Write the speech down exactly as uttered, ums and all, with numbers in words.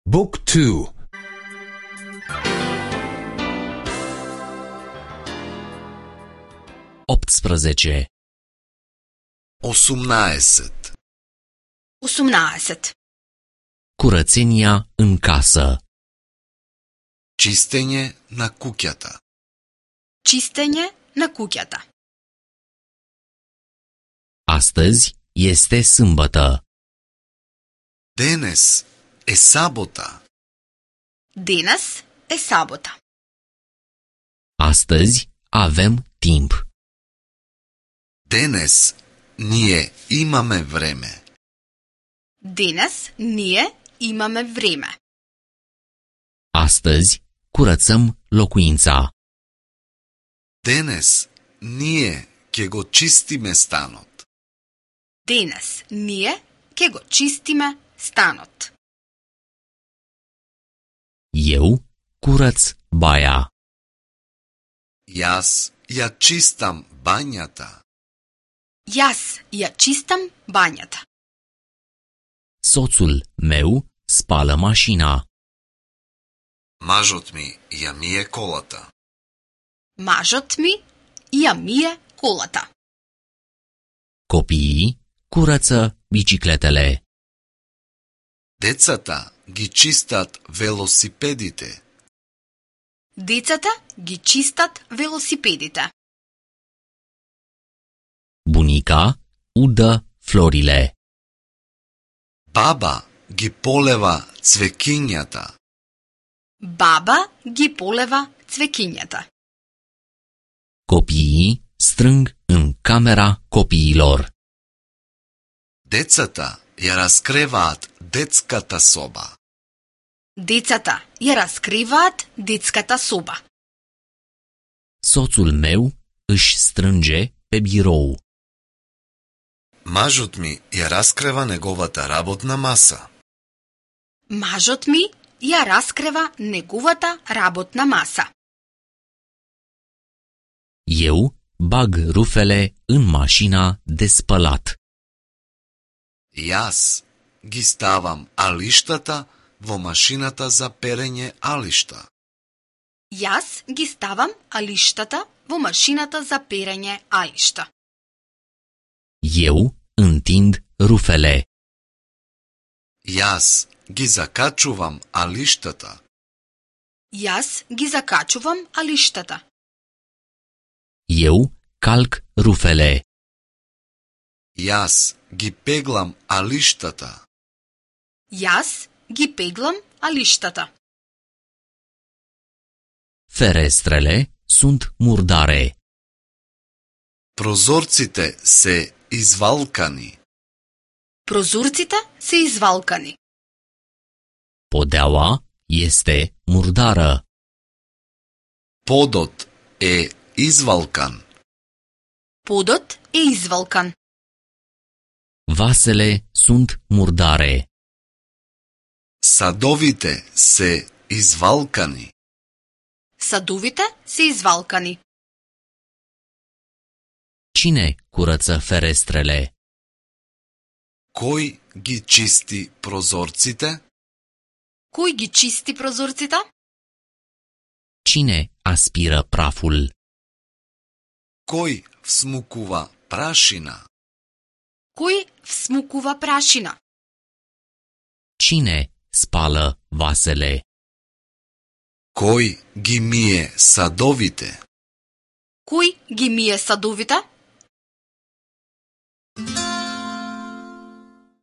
Book two. optsprezece. осумнаесет. осумнаесет. Curățenia în casă. Чистење на куќата. Чистење на куќата. Astăzi este sâmbătă. Денес е сабота. Денес е сабота. Astăzi avem timp. Денес ние имаме време. Денес ние имаме време. Astăzi curățăm locuința. Денес ние ќе го чистиме станот. Денес ние ќе го чистиме станот. Eu curăț baia. Јас ја чистам бањата. Јас ја чистам бањата. Soțul meu spală mașina. Мажот ми ја мие колата. Мажот ми ја мие колата. Copiii curăță bicicletele. Децата ги чистат велосипедите. Децата ги чистат велосипедите. Bunica udă florile. Баба ги полева цвекињата. Баба ги полева цвекињата. Copiii strâng în camera copiilor. Децата ја раскреваат детската соба. Децата ја раскриваат детската соба. Soțul meu își strânge pe birou. Мажот ми ја раскрева неговата работна маса. Мажот ми ја раскрева неговата работна маса. Eu bag rufele în mașina de spălat. Јас ги ставам алиштата во машината за перење алишта. Јас ги ставам алиштата во машината за перење алишта. Eu întind rufele. Јас ги закачувам алиштата. Јас ги закачувам алиштата. Eu calc rufele. Јас ги пеглам алиштата. Јас ги пеглам алиштата. Ferestrele sunt murdare. Прозорците се извалкани. Прозорците се извалкани. Podeaua este murdară. Подот е извалкан. Подот е извалкан. Vasele sunt murdare. Садовите се извалкани. Садовите се извалкани. Cine curăță ferestrele? Кој ги чисти прозорците? Кој ги чисти прозорците? Cine aspiră praful? Кој всмукува прашина? Кој всмукува прашина? Cine spală vasele? Кој ги мие садовите? Кој ги мие садовите?